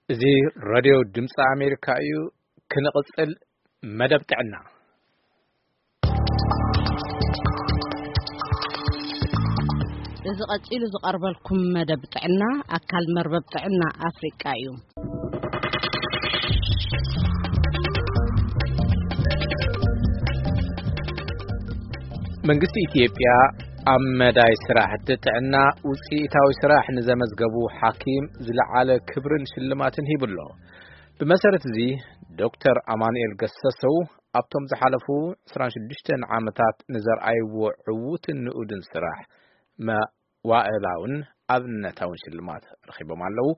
እዚ ሬድዮ ድምፂ ኣሜሪካ እዩ። ክንቕፅል፣ መደብ ጥዕና። እዚ ቀፂሉ ዝቐርበልኩም መደብ ጥዕና ኣካል መርበብ ጥዕና ኣፍሪቃ እዩ። መንግስቲ ኢትዮጵያ ኣብ መዳይ ስራሕቲ ጥዕና ውፅኢታዊ ስራሕ ንዘመዝገቡ ሓኪም ዝለዓለ ክብርን ሽልማትን ሂቡሎ። ብመሰረት እዚ፣ ዶክተር ኣማኑኤል ገሰሰው ኣብቶም ዝሓለፉ ዕስራን ሽዱሽተን ዓመታት ንዘርኣይዎ ዕዉትን ንኡድን ስራሕ መዋእላውን ኣብነታውን ሽልማት ረኺቦም ኣለዉ።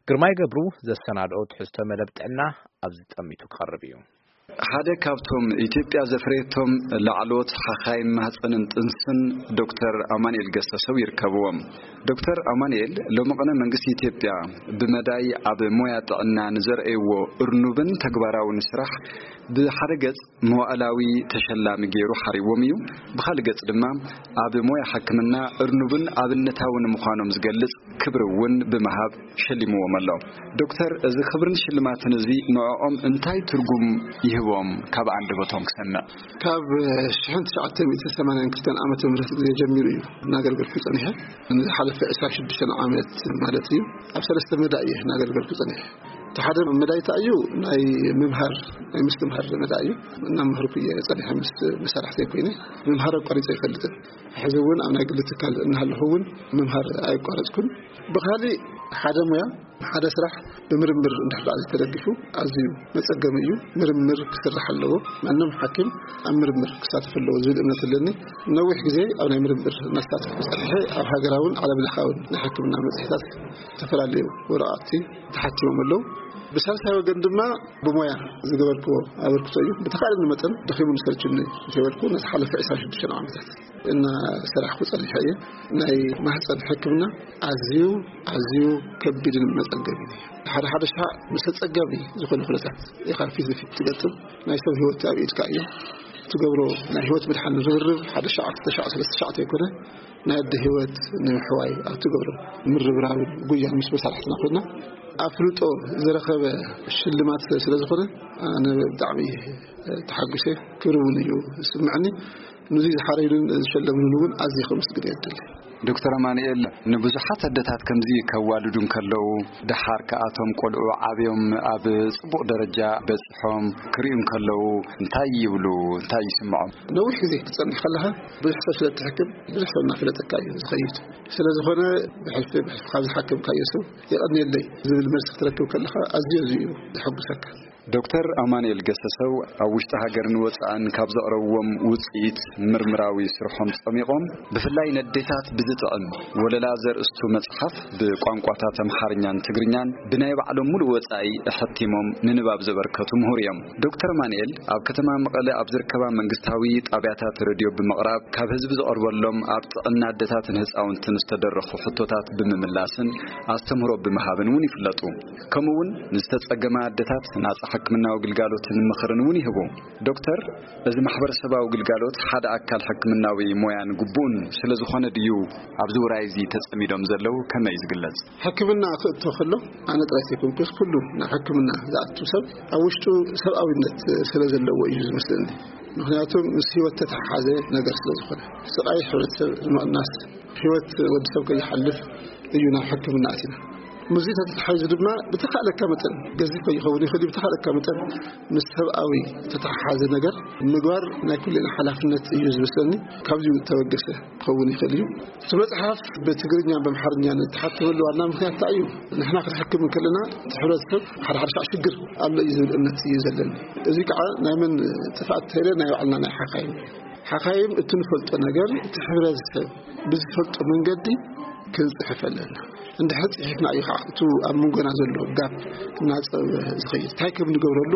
ግርማይ ገብሩ ዘሰናድኦ ትሕዝቶ መደብ ጥዕና ኣብዚ ጠሚቱ ክቐርብ እዩ። ሓደ ካብቶም ኢትዮጵያ ዘፍረየቶም ላዕለዎት ሓኻይም ማህፀንን ጥንስን ዶክተር ኣማኑኤል ገሰሰው ይርከብዎም። ዶክተር ኣማኑኤል ሎሚ ቅነ መንግስቲ ኢትዮጵያ ብመዳይ ኣብ ሞያ ጥዕና ንዘርአይዎ እርኑብን ተግባራውን ስራሕ ብሓደ ገጽ መዋእላዊ ተሸላሚ ገይሩ ሓሪዎም እዩ። ብኻልእ ገጽ ድማ ኣብ ሞያ ሕክምና እርኑብን ኣብነታውን ምዃኖም ዝገልጽ ክብሪ እውን ብምሃብ ሸሊምዎም ኣሎ። ዶክተር፣ እዚ ክብርን ሽልማትን እዚ ንዕኦም እንታይ ትርጉም ይህቦም? ካብ ኣንደበቶም ክሰምዕ። ካብ ሽሕን ትሽዓተ ሚእትን ሰማንያን ክልተን ዓመተ ምህረት ግዜ ጀሚሩ እዩ እናገልገልኩ ጸኒሐ። ንዝሓለፈ ዕስራን ሽዱሽተን ዓመት ማለት እዩ። ኣብ ሰለስተ መዳይ እየ እናገልገልኩ ጸኒሐ። እቲ ሓደ መዳይ እንታይ እዩ? ናይ ምምሃር፣ ናይ ምስትምሃር መዳይ እዩ። እናመሃርኩ እየ ጸኒሐ ምስ መሳርሕተይ ኮይነ። ምምሃር ኣቋሪጸ ኣይፈልጥን። ሕዚ እውን ኣብ ናይ ግሊ ትካል እናሃለኹ እውን ምምሃር ኣየቋረጽኩን። ብኻሊእ ሓደ ሙያ፣ ሓደ ስራሕ ብምርምር እንድሕር ደኣ ዘይተደጊፉ ኣዝዩ መጸገሚ እዩ። ምርምር ክስራሕ ኣለዎ። ማንም ሓኪም ኣብ ምርምር ክሳተፍ ኣለዎ ዝብል እምነት ኣለኒ። ነዊሕ ግዜ ኣብ ናይ ምርምር እናተሳተፍኩ ጸኒሐ። ኣብ ሃገራውን ዓለም ለኻውን ናይ ሕክምና መጽሔታት ዝተፈላለዩ ወረቓቕቲ ተሓቲሞም ኣለዉ። ብሳልሳይ ወገን ድማ ብሞያ ዝገበርክዎ ኣበርክቶ እዩ። ብተኻእለኒ መጠን ደኺሙኒ ሰልችኒ ከይበልኩ ነቲ ሓለፈ ዕስራን ሽዱሽተን ዓመታት እናሰራሕኩ ጸኒሐ እየ። ናይ ማህፀን ሕክምና ኣዝዩ፣ ኣዝዩ ከቢድን መጸገቢን እዩ። ሓደ ሓደ ሻዕ ምስ ኣጸጋሚ ዝኾነ ኩነታት ኢኻ ፊት ንፊት ትገጥም። ናይ ሰብ ህይወት ኣብ ኢድካ እዩ። ትገብሮ ናይ ህይወት ምድሓን ርብርብ ሓደ ሻዕ፣ ክልተ ሻዕ፣ ሰለስተ ሻዕ ተይኮነ፣ ናይ ኣደ ህይወት ንምሕዋይ ኣብ ትገብሮ ምርብራብን ጉያን ምስ መሳርሕትና ኮይና፣ ኣፍልጦ ዝረኸበ ሽልማት ስለ ዝኾነ፣ ኣነ ብጣዕሚ ተሓጒሰ፣ ክብሪ እውን እዩ ዝስምዐኒ። ነዚ ዝሓረዩንን ዝሸለሙንን እውን ኣዝየ ከመስግን እየ ዝደሊ። ዶክተር ኣማኑኤል፣ ንብዙሓት ኣደታት ከምዚ ከዋልዱ እንከለዉ፣ ደሓር ከኣቶም ቆልዑ ዓብዮም ኣብ ጽቡቕ ደረጃ በጽሖም ክርእዩ እንከለዉ፣ እንታይ ይብሉ? እንታይ ይስምዖም? ነዊሕ ግዜ ክትጸንሕ ከለኻ፣ ብዙሕ ሰብ ስለ እትሕክም፣ ብዙሕ ሰብ እናፈለጠካ እዩ ዝኸይድ። ስለ ዝኾነ፣ ብሕልፊ፣ ብሕልፊ ካብ ዝሓከምካዮ ሰብ፣ "የቐንየለይ" ዝብል መልሲ ክትረክብ ከለኻ፣ ኣዝዩ፣ ኣዝዩ እዩ ዘሐጉሰካ። ዶክተር ኣማኑኤል ገሰሰው ኣብ ውሽጢ ሃገርን ወጻእን ካብ ዘቕረብዎም ውጽኢት ምርምራዊ ስርሖም ጸሚቖም፣ ብፍላይ ነዴታት ብዝጥዕም ወለላ ዘርእስቱ መጽሓፍ ብቋንቋታት ኣምሓርኛን ትግርኛን ብናይ ባዕሎም ሙሉእ ወጻኢ ኣሐቲሞም ንንባብ ዘበርከቱ ምሁር እዮም። ዶክተር ኣማኑኤል ኣብ ከተማ መቐለ ኣብ ዝርከባ መንግስታዊ ጣብያታት ሬድዮ ብምቕራብ፣ ካብ ህዝቢ ዝቐርበሎም ኣብ ጥዕና ኣዴታትን ህጻውንትን ዝተደረኹ ሕቶታት ብምምላስን ኣስተምህሮ ብምሃብን እውን ይፍለጡ። ከምኡ እውን ንዝተጸገማ ኣዴታት ናጻ ሕክምናዊ ግልጋሎትን ምኽርን እውን ይህቡ። ዶክተር፣ እዚ ማሕበረሰባዊ ግልጋሎት ሓደ ኣካል ሕክምናዊ ሞያን ግቡእን ስለ ዝኾነ ድዩ ኣብዚ ውራይ እዚ ተጸሚዶም ዘለዉ? ከመይ እዩ ዝግለጽ? ሕክምና ክእቶ ከሎ፣ ኣነ ጥራይ ዘይኮንኩስ፣ ኩሉ ናብ ሕክምና ዝኣቱ ሰብ ኣብ ውሽጡ ሰብኣዊነት ስለ ዘለዎ እዩ ዝመስለኒ። ምኽንያቱ ምስ ህይወት ተተሓሓዘ ነገር ስለ ዝኾነ፣ ስቓይ ሕብረተሰብ ንምቕናስ፣ ህይወት ወዲ ሰብ ከይሓልፍ እዩ ናብ ሕክምና ኣቲና። ምስዚ ተተሓሒዙ ድማ ብተኻእለካ መጠን፣ ገዚፍ ከይኸውን ይኽእል እዩ፣ ብተኻእለካ መጠን ምስ ሰብኣዊ ተተሓሓዘ ነገር ምግባር ናይ ኩልና ሓላፍነት እዩ ዝመስለኒ። ካብዚኡ ተበገሰ ክኸውን ይኽእል እዩ። እቲ መጽሓፍ ብትግርኛን ብኣምሓርኛን እተሓተመሉ ዋና ምኽንያት እንታይ እዩ? ንሕና ክንሕክም እንከለና፣ እቲ ሕብረተሰብ ሓደ ሓደ ሻዕ ሽግር ኣሎ እዩ ዝብል እምነት እዩ ዘለኒ። እዚ ከዓ ናይ መን ጥፍኣት ተይለ፣ ናይ ባዕልና ናይ ሓኻይም። ሓኻይም እቲ ንፈልጦ ነገር፣ እቲ ሕብረተሰብ ብዝፈልጦ መንገዲ ክንጽሕፍ ኣለና። እንድሕር ጽሒፍና እዩ ከዓ እቲ ኣብ መንጎና ዘሎ ጋፕ እናጸበበ ዝኸይድ። እንታይ ከም ንገብረሉ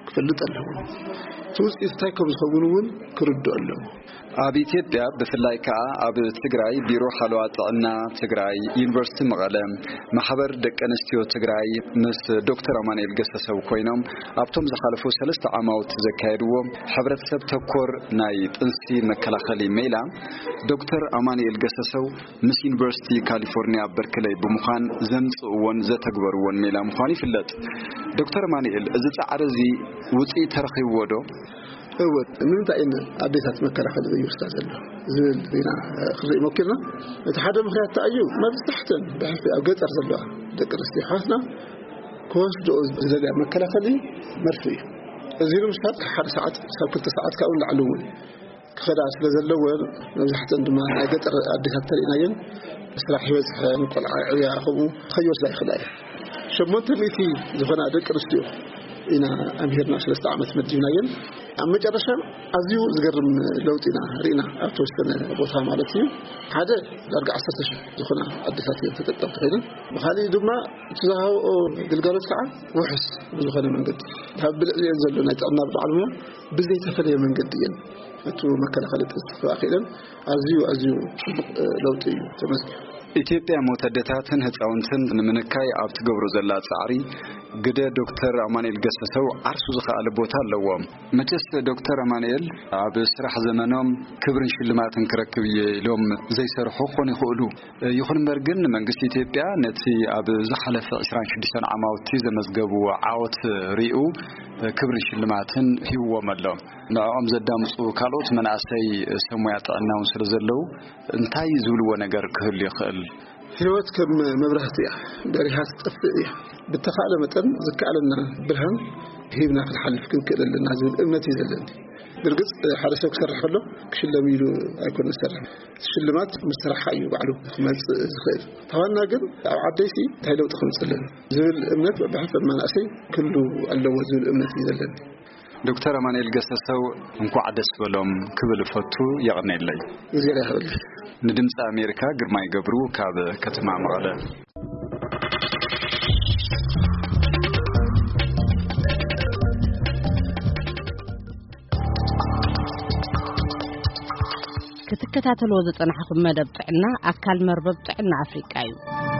ክፈልጥ ኣለዎ። እቲ ውጽኢት እንታይ ከም ዝኸውን እውን ክርድኦ ኣለዎ። ኣብ ኢትዮጵያ፣ ብፍላይ ከኣ ኣብ ትግራይ፣ ቢሮ ሓለዋ ጥዕና ትግራይ፣ ዩኒቨርሲቲ መቐለ፣ ማሕበር ደቂ ኣንስትዮ ትግራይ ምስ ዶክተር ኣማኑኤል ገሰሰው ኮይኖም፣ ኣብቶም ዝሓለፉ ሰለስተ ዓማውት ዘካየድዎ ሕብረተሰብ ተኮር ናይ ጥንሲ መከላኸሊ ሜላ፣ ዶክተር ኣማኑኤል ገሰሰው ምስ ዩኒቨርሲቲ ካሊፎርኒያ በርክለይ ምዃን ዘምጽእዎን ዘተግበርዎን ሜላ ምዃኑ ይፍለጥ። ዶክተር ኣማኑኤል፣ እዚ ጻዕሪ እዚ ውጽኢት ተረኺብዎ ዶ? እወ፣ ንምንታይ እየን ኣዴታት መከላኸሊ ዘይወስዳ ዘሎ ዝብል ኢና ክንርኢ ሞኪርና። እቲ ሓደ ምኽንያት እንታይ እዩ? መብዛሕተን ብሕልፊ ኣብ ገጠር ዘለዋ ደቂ ኣንስትዮ ኣሕዋትና ክወስድኦ ዝደልያ መከላኸሊ መርፍእ እዩ። እዚ ንምስታት ካብ ሓደ ሰዓት ክሳብ ክልተ ሰዓት ካብኡ ንላዕሊ እውን ክኸዳ ስለ ዘለወን፣ መብዛሕተን ድማ ናይ ገጠር ኣዴታት ተሪእናየን፣ ስራሕ ይበዝሐን ቆልዓ ይዕብያ፣ ከምኡ ከይወስዳ ይኽእላ እየን። ሸሞንተ ሚእቲ ዝኾና ደቂ ኣንስትዮ ኢና ኣምሂርና፣ ሰለስተ ዓመት መዲብናየን። ኣብ መጨረሻ ኣዝዩ ዝገርም ለውጢ ኢና ርኢና፣ ኣብ ተወሰነ ቦታ ማለት እዩ። ሓደ ዳርጋ ዓሰርተ ሺሕ ዝኾና ኣዴታት እየን ተጠቀምቲ ኮይነን። ብኻሊእ ድማ እቲ ዝሃብኦ ግልጋሎት ከዓ ውሑስ ብዝኾነ መንገዲ፣ ካብ ብልዕሊአን ዘሎ ናይ ጥዕና በዓል ሞያ ብዘይተፈለየ መንገዲ እየን ነቲ መከላኸሊ ጥንሲ ክረኽባ ክኢለን። ኣዝዩ ኣዝዩ ጽቡቕ ለውጢ እዩ ተመዝጊቡ። ኢትዮጵያ ሞት ኣደታትን ህፃውንትን ንምንካይ ኣብ ትገብሮ ዘላ ጻዕሪ ግደ ዶክተር ኣማኑኤል ገሰሰው ዓርሱ ዝኸኣለ ቦታ ኣለዎ። መቸስ ዶክተር ኣማኑኤል ኣብ ስራሕ ዘመኖም ክብርን ሽልማትን ክረክብ እየ ኢሎም ዘይሰርሑ ክኾኑ ይኽእሉ። ይኹን እምበር ግን መንግስቲ ኢትዮጵያ ነቲ ኣብ ዝሓለፈ ዕስራን ሽዱሽተን ዓማውቲ ዘመዝገብዎ ዓወት ሪኡ ክብርን ሽልማትን ሂብዎም ኣሎ። ንዕኦም ዘዳምፁ ካልኦት መናእሰይ ሰብ ሞያ ጥዕና እውን ስለ ዘለዉ እንታይ ዝብልዎ ነገር ክህሉ ይኽእል? ህይወት ከም መብራህቲ እያ፣ በሪሃ ትጠፍእ እያ። ብተኻእለ መጠን ዝከኣለና ብርሃን ሂብና ክንሓልፍ ክንክእል ኣለና ዝብል እምነት እዩ ዘለኒ። ብርግጽ ሓደ ሰብ ክሰርሕ ከሎ ክሽለም ኢሉ ኣይኮነ ዝሰርሕ። ሽልማት ምስ ስራሕካ እዩ ባዕሉ ክመጽእ ዝኽእል። ተዋና ግን ኣብ ዓደይሲ እንታይ ለውጢ ክመጽእ ኣለኒ ዝብል እምነት ብሕልፊ መናእሰይ ክህሉ ኣለዎ ዝብል እምነት እዩ ዘለኒ። ዶክተር ኣማኑኤል ገሰሰው እንኳዕ ደስ በሎም ክብል እፈቱ። የቐኔለይ። እግዜር ያኽብርልኝ። ንድምፂ ኣሜሪካ ግርማይ ገብሩ ካብ ከተማ መቐለ። ክትከታተልዎ ዝጸናሕኹም መደብ ጥዕና ኣካል መርበብ ጥዕና ኣፍሪቃ እዩ።